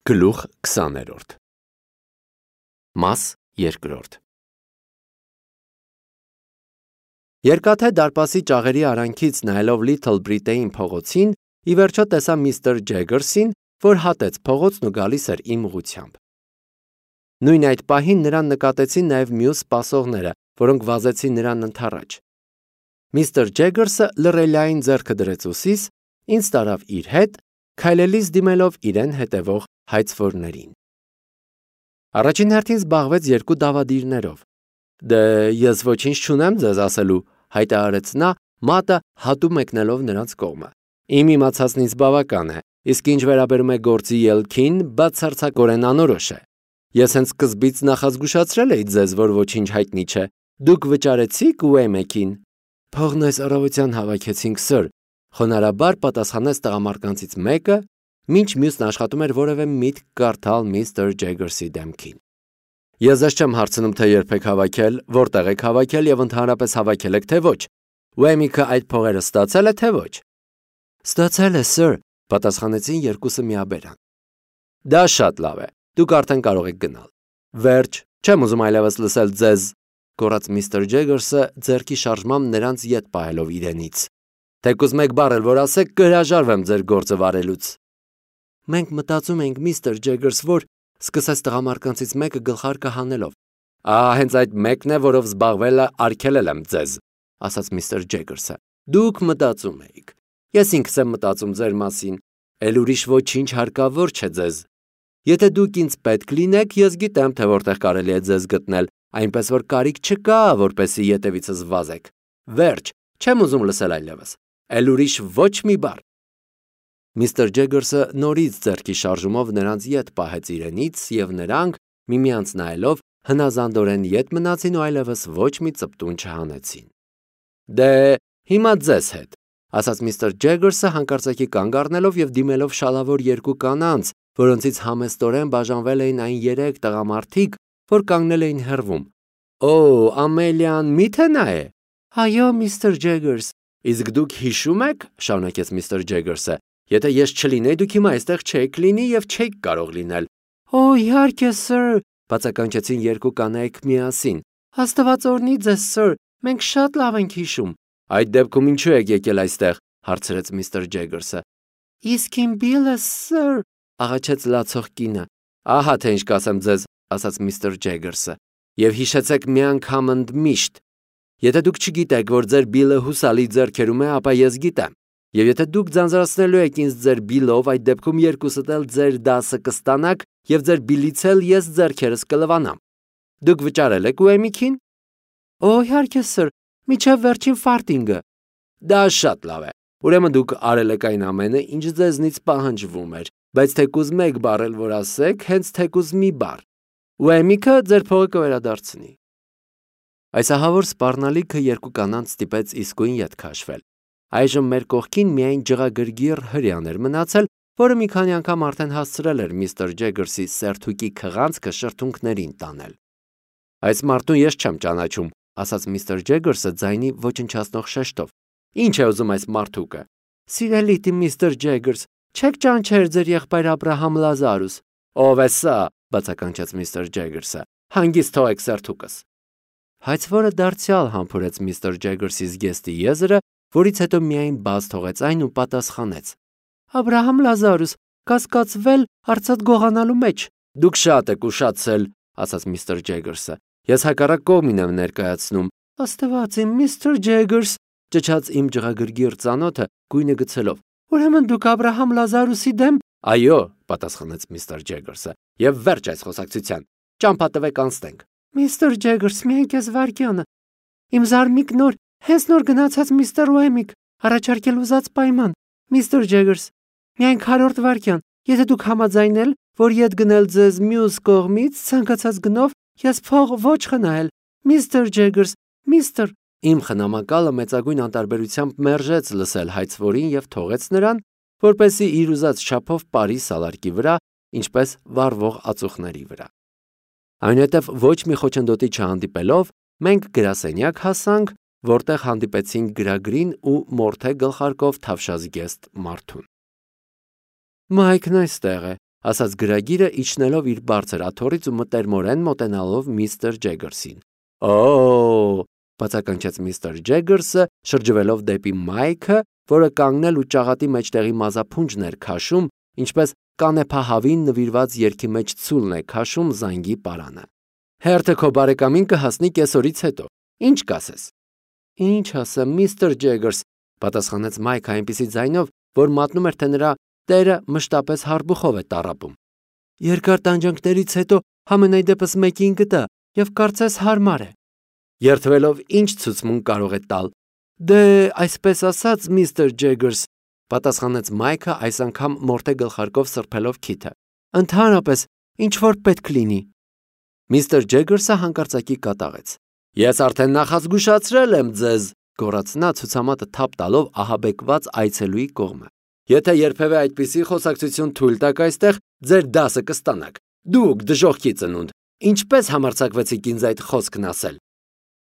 Գլուխ 20-րդ Մաս 2 Երկաթե դարպասի ճաղերի արանքից նայելով Լիթլ Բրիտեյն փողոցին, ի վերջո տեսա միստր Ջեգերսին, որ հատեց փողոցն ու գալիս էր իմ ուղղությամբ։ Նույն այդ պահին նրան նկատեցին նաև մյուս սպասողները, որոնք վազեցին նրան ընդառաջ։ Միստր Ջեգերսը լռելիային ձեռքը դրեց ուսիս, ինձ տարավ իր հետ, քայլելիս դիմելով իրեն հետևող հայցվորներին։ Առաջին հերթին զբաղվեց երկու դավադիրներով։ Դե ես ոչինչ չունեմ ձեզ ասելու, հայտարարեց նա, մատը հատու մեկնելով նրանց կողմը։ Իմ իմացածն ինձ բավական է, իսկ ինչ վերաբերում է գործի ելքին, բացարձակորեն անորոշ է։ Ես հենց սկզբից նախազգուշացրել էի ձեզ, որ ոչինչ հայտնի չէ։ Դուք վճարեցիք Ուեմեքին։ Փողն այս առավոտյան հավաքեցինք, սըր, խոնարհաբար պատասխանեց տղամարդկանցից մեկը, մինչ մյուսն աշխատում էր որևէ միտք կարդալ միստր Ջեգերսի դեմքին։ Ես ձեզ չեմ հարցնում, թե երբ եք հավաքել, որտեղ եք հավաքել եւ ընդհանրապես հավաքել եք թե ոչ։ Ուեմիկը այդ փողերը ստացել է թե ոչ։ Ստացել է, սըր, պատասխանեցին երկուսը միաբերան։ Դա շատ լավ է։ Դուք արդեն կարող եք գնալ։ Վերջ, չեմ ուզում այլևս լսել ձեզ, գոռաց միստր Ջեգերսը ձեռքի շարժմամբ նրանց ետ պահելով իրենից։ Թեկուզ մեկ բառ էլ որ ասեք, կհրաժարվեմ ձեր գործը վարելուց։ Մենք մտածում ենք, միստր Ջեգերս, որ սկսեց տղամարդկանցից մեկը գլխարկը հանելով։ Հենց այդ մեկն է, որով զբաղվելը արգելել եմ ձեզ, ասաց միստր Ջեգերսը։ Դուք մտածում եք։ Ես ինքս եմ մտածում ձեր մասին, էլ ուրիշ ոչինչ հարկավոր չէ ձեզ։ Եթե դուք ինձ պետք լինեք, ես գիտեմ, թե որտեղ կարելի է ձեզ գտնել, այնպես որ կարիք չկա, որպեսզի ետևիցս վազեք։ Վերջ, չեմ ուզում լսել այլևս։ Էլ ուրիշ ոչ մի բառ։ Միստր Ջեգերսը նորից ձեռքի շարժումով նրանց ետ պահեց իրենից և նրանք, միմյանց նայելով, հնազանդորեն ետ մնացին ու այլևս ոչ մի ծպտուն չհանեցին։ Դե, հիմա ձեզ հետ, ասաց միստր Ջեգերսը հանկարծակի կանգ առնելով և դիմելով շալավոր երկու կանանց, որոնցից համեստորեն բաժանվել էին այն 3 տղամարդիկ, որ կանգնել էին հեռվում։ Օ, Ամելիան միթե նա է։ Այո, միստր Ջեգերս։ Իսկ դուք հիշում եք, շարունակեց միստր Ջեգերսը, եթե ես չլինեի, դուք հիմա այստեղ չեք լինի և չեք կարող լինել։ Օ, իհարկե, սըր, բացականչեցին երկու կանայք միասին։ Աստված օրհնի ձեզ, սըր, մենք շատ լավ ենք հիշում։ Այդ դեպքում ինչու եք եկել այստեղ, հարցրեց միստր Ջեգերսը։ Իսկ իմ Բիլը, սըր, աղաչեց լացող կինը։ Ահա թե ինչ կասեմ ձեզ, ասաց միստր Ջեգերսը, և հիշեցեք մի անգամ ընդմիշտ։ Եթե դուք չգիտեք, որ ձեր Բիլը հուսալի ձեռքերում է, ապա ես գիտեմ։ Եվ եթե դուք ձանձրացնելու եք ինձ ձեր Բիլով, այդ դեպքում երկուսդ էլ ձեր դասը կստանաք և ձեր Բիլից էլ ես ձեռքերս կլվանամ։ Դուք վճարել եք Ուեմիքին։ Օ, իհարկե, սըր, մինչև վերջին ֆարտինգը։ Դա շատ լավ է։ Ուրեմն դուք արել եք այն ամենը, ինչ ձեզնից պահանջվում էր, բայց թեկուզ մեկ բառ էլ որ ասեք, հենց թեկուզ մի բառ։ Ուեմիքը ձեր փողը կվերադարձնի։ Այս ահավոր սպառնալիքը երկու կանանց ստիպեց իսկույն ետ քաշվել։ Այժմ մեր կողքին միայն ջղագրգիռ հրեան էր մնացել, որը մի քանի անգամ արդեն հասցրել էր միստր Ջեգերսի սերթուկի քղանցքը շրթունքներին տանել։ Այս մարդուն ես չեմ ճանաչում, ասաց միստր Ջեգերսը ձայնի ոչնչացնող շեշտով։ Ինչ է ուզում այս մարդուկը։ Սիրելիտի միստր Ջեգերս, չեք ճանաչել ձեր եղբայր Աբրահամ Լազարուս։ Ով է սա, բացականչեց միստր Ջեգերսը։ Հանգիստ թողեք սերթուկս։ Հայցվորը դարձյալ համբուրեց միստր Ջեգերսի զգեստի եզրը, որից հետո միայն բաց թողեց այն ու պատասխանեց. Աբրահամ Լազարուս, կասկածվել արծաթ գողանալու մեջ։ Դուք շատ եք ուշացել, ասաց միստր Ջեգերսը։ Ես հակառակ կողմին եմ ներկայացնում։ Աստված իմ, միստր Ջեգերս, ճչաց իմ ջղագրգիռ ծանոթը գույնը գցելով։ Ուրեմն դուք Աբրահամ Լազարուսի դեմ։ Այո, պատասխանեց միստր Ջեգերսը։ Եվ վերջ այս խոսակցության։ Ճամփա տվեք անցնենք։ Միստր Ջեգերս, միայն քեզ վարկյանը։ Իմ զարմիկ նոր, հենց նոր գնացած միստր Ուեմիկ, առաջարկել ուզած պայման։ Միստր Ջեգերս, միայն 40 վարկյան, եթե դուք համաձայնել, որ ետ գնել ձեզ մյուս կողմից ցանկացած գնով, ես փող ոչ խնայել։ Միստր Ջեգերս, միստր։ Իմ խնամակալը մեծագույն անտարբերությամբ մերժեց լսել հայցվորին և թողեց նրան, որպեսզի իր ուզած չափով ապարի սալարկի վրա, ինչպես վառվող ածուխների վրա։ Այնուհետև ոչ մի խոչընդոտի չհանդիպելով, մենք գրասենյակ հասանք, որտեղ հանդիպեցինք գրագրին ու մորթե գլխարկով թավշազգեստ մարդուն։ Մայքն այստեղ է, ասաց գրագիրը իջնելով իր բարձր աթոռից ու մտերմորեն մոտենալով միստր Ջեգերսին։ Օ՜, բացականչեց միստր Ջեգերսը, շրջվելով դեպի Մայքը, որը կանգնել ու ճաղատի մեջտեղի մազափունջն էր քաշում, ինչպես կանեփահավին նվիրված երգի մեջ ցուլն է քաշում զանգի պարանը։ Հերթը քո բարեկամին կհասնի կեսօրից հետո։ Ինչ կասես։ Ինչ ասեմ, միստր Ջեգերս, պատասխանեց Մայքը այնպիսի ձայնով, որ մատնում էր, թե նրա տերը մշտապես հարբուխով է տառապում։ Երկար տանջանքներից հետո համենայն դեպս մեկին գտա եւ կարծես հարմար է։ Երթվելով ինչ ցուցմունք կարող է տալ։ Դե, այսպես ասած, միստր Ջեգերս, պատասխանեց Մայքը այս անգամ մորթե գլխարկով սրբելով քիթը։ Ընդհանրապես, ինչ որ պետք լինի։ Միստր Ջեգերսը հանկարծակի կատաղեց։ Ես արդեն նախազգուշացրել եմ ձեզ, գոռաց նա ցուցամատը թափ տալով ահաբեկված այցելուի կողմը։ Եթե երբևէ այդպիսի խոսակցություն թույլ տաք այստեղ, ձեր դասը կստանաք։ Դուք դժոխքի ծնունդ, ինչպես համարձակվեցիք ինձ այդ խոսքն ասել։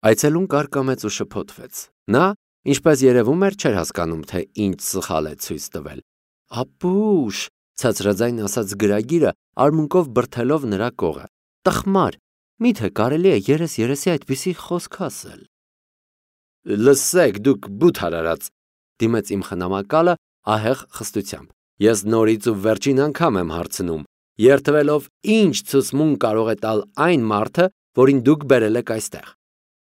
Այցելուն կարկամեց ու շփոթվեց։ Նա, ինչպես երևում էր, չէր հասկանում, թե ինչ սխալ է ցույց տվել։ Ապուշ, ցածրաձայն ասաց գրագիրը, արմունկով բրթելով նրա կողը։ Տխմար, միթե կարելի է երես-երեսի այդպիսի խոսք ասել։ Լսեք, դուք բութ արարած, դիմեց իմ խնամակալը ահեղ խստությամբ։ Ես նորից ու վերջին անգամ եմ հարցնում, երթվելով ինչ ցուցմունք կարող է տալ այն մարդը, որին դուք բերել եք այստեղ։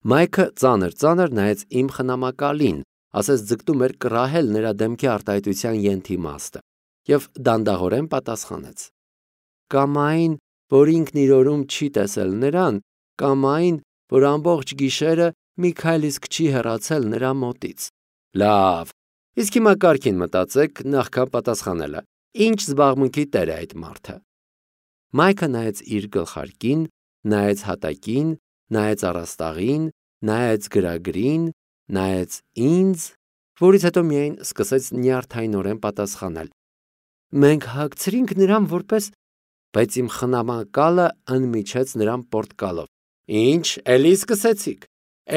Մայքը ծանր նայեց իմ խնամակալին, ասես ձգտում էր կռահել նրա դեմքի արտահայտության ենթիմաստը, եւ դանդաղորեն պատասխանեց. Կամ այն, որ ինքն իր օրում չի տեսել նրան, կամ այն, որ ամբողջ գիշերը մի քայլ իսկ չի հեռացել նրա մոտից։ Լավ, իսկ հիմա կարգին մտածեք նախքան պատասխանելը։ Ինչ զբաղմունքի տեր է այդ մարդը։ Մայքը նայեց իր գլխարկին, նայեց հատակին, նայեց առաստաղին, նայեց գրագրին, նայեց ինձ, որից հետո միայն սկսեց նյարդայնորեն պատասխանել. Մենք հագցրինք նրան որպես, բայց իմ խնամակալը ընմիջեց նրան պորտկալով. Ինչ, էլի սկսեցիք,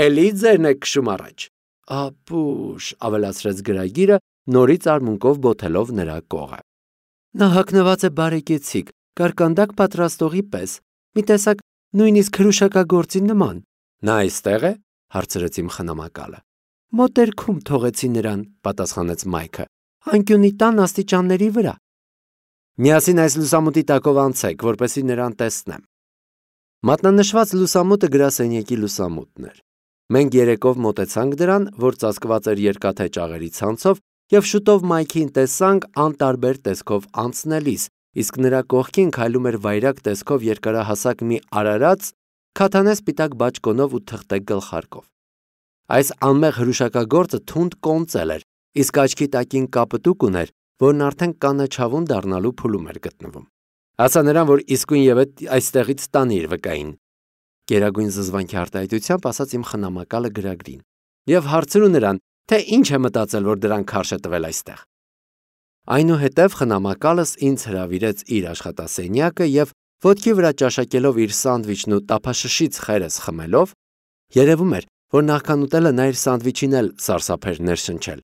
էլի ձերն եք քշում առաջ։ Ապուշ, ավելացրեց գրագիրը, նորից արմունկով բոթելով նրա կողը։ Նա հագնված է բարեկեցիկ, կարկանդակ պատրաստողի պես, մի տեսակ նույնիսկ քրուշակագործի նման։ Նա այստեղ է, հարցրեց իմ խնամակալը։ Մոտերքում թողեցի նրան, պատասխանեց Մայքը, անկյունի տան աստիճանների վրա։ Միասին այս լուսամուտի տակով անցեք, որպեսզի նրան տեսնեմ։ Մատնանշված լուսամուտը գրասենյակի լուսամուտն էր։ Մենք երեկով մոտեցանք դրան, որ ծածկված էր երկաթե ճաղերի ցանցով, եւ շուտով Մայքին տեսանք անտարբեր տեսքով անցնելիս, իսկ նրա կողքին քայլում էր վայրագ տեսքով երկարահասակ մի արարած, քաթանե սպիտակ բաճկոնով ու թղթե գլխարկով։ Այս անմեղ հրուշակագործը թունդ կոնծել էր, իսկ աչքի տակին կապտուկ ուներ, որն արդեն կանաչավուն դառնալու փուլում էր գտնվում։ Ասա նրան, որ իսկույն ևեթ այստեղից տանի իր վկային։ Գերագույն զզվանքի արտահայտությամբ ասաց իմ խնամակալը գրագրին։ Եվ հարցրու նրան, թե ինչ է մտածել, որ դրան քարշ է տվել այստեղ։ Այնուհետև խնամակալս ինձ հրավիրեց իր աշխատասենյակը եւ ոտքի վրա ճաշակելով իր սանդվիչն ու տափաշշից խերս խմելով, երևում էր, որ նախքան ուտելը նա իր սանդվիչին էլ սարսափեր ներշնչել,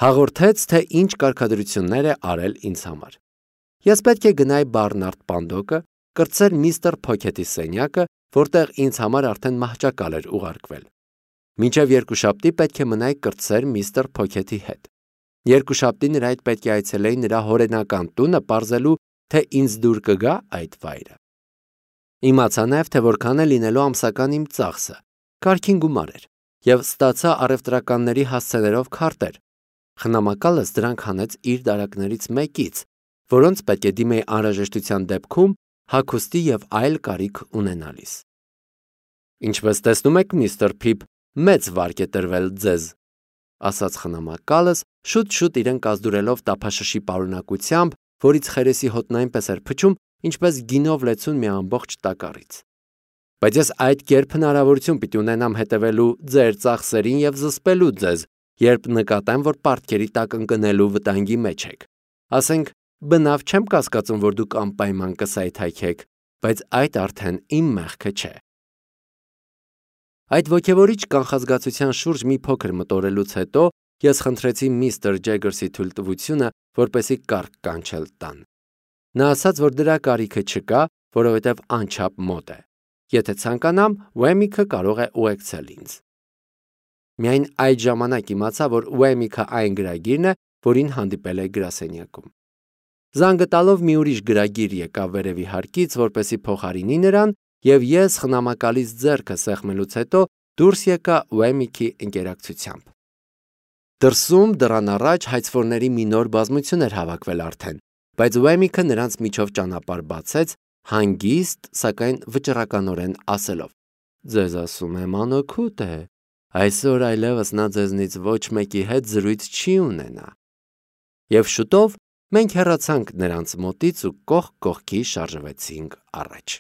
հաղորդեց, թե ինչ կարգադրություններ է արել ինձ համար։ Ես պետք է գնայի Բարնարդ Պանդոկը, կրտսեր միստր Փոքեթի սենյակը, որտեղ ինձ համար արդեն մահճակալ էր ուղարկվել։ Մինչև երկուշաբթի պետք է մնայի կրտսեր միստր Փոքեթի հետ։ Երկուշաբթի նրա հետ պետք է այցելեի նրա հորենական տունը, պարզելու, թե ինձ դուր կգա այդ վայրը։ Իմացա նաև, թե որքան է լինելու ամսական իմ ծախսը, կարգին գումար էր, եւ ստացա առևտրականների հասցեներով քարտեր։ Խնամակալս դրանք հանեց իր դարակներից մեկից, որոնց պետք է դիմեի անհրաժեշտության դեպքում հագուստի եւ այլ կարիք ունենալիս։ Ինչպես տեսնում եք, միստր Փիփ, մեծ վարկ է տրվել ձեզ, ասաց խնամակալս, շուտ-շուտ իրեն կազդուրելով տափաշշի պարունակությամբ, որից խերեսի հոտն այնպես էր փչում, ինչպես գինով լեցուն մի ամբողջ տակառից։ Բայց ես այդ կերպ հնարավորություն պիտի ունենամ հետևելու ձեր ծախսերին եւ զսպելու ձեզ, երբ նկատեմ, որ պարտքերի տակ ընկնելու վտանգի մեջ եք։ Ասենք, բնավ չեմ կասկածում, որ դուք անպայման կսայթայքեք, բայց այդ արդեն իմ մեղքը չէ։ Այդ ոգևորիչ կանխազգացության շուրջ մի փոքր մտորելուց հետո ես խնդրեցի միստր Ջեգերսի թույլտվությունը, որպեսզի կարգ կանչել տան։ Նա ասաց, որ դրա կարիքը չկա, որովհետև անչափ մոտ է։ Եթե ցանկանամ, Wemmick-ը կարող է ուղեկցել ինձ։ Միայն այդ ժամանակ իմացա, որ Wemmick-ը այն գրագիրն է, որին հանդիպել է գրասենյակում։ Զանգը տալով մի ուրիշ գրագիր եկավ վերևի հարկից, որպեսզի փոխարինի նրան, եւ ես խնամակալից ձեռքը սեղմելուց հետո դուրս եկա Wemmick-ի ընկերակցությամբ։ Դրսում դռան առաջ հայցվորների մի նոր բազմություն էր հավաքվել արդեն, բայց Wemmick-ը նրանց միջով ճանապարհ բացեց, հանգիստ, սակայն վճռականորեն ասելով. «Ձեզ ասում եմ, անօգուտ է, այսօր այլևս նա ձեզնից ոչ մեկի հետ զրույց չի ունենա»։ Եվ շուտով մենք հեռացանք նրանց մոտից ու կողք կողքի շարժվեցինք առաջ։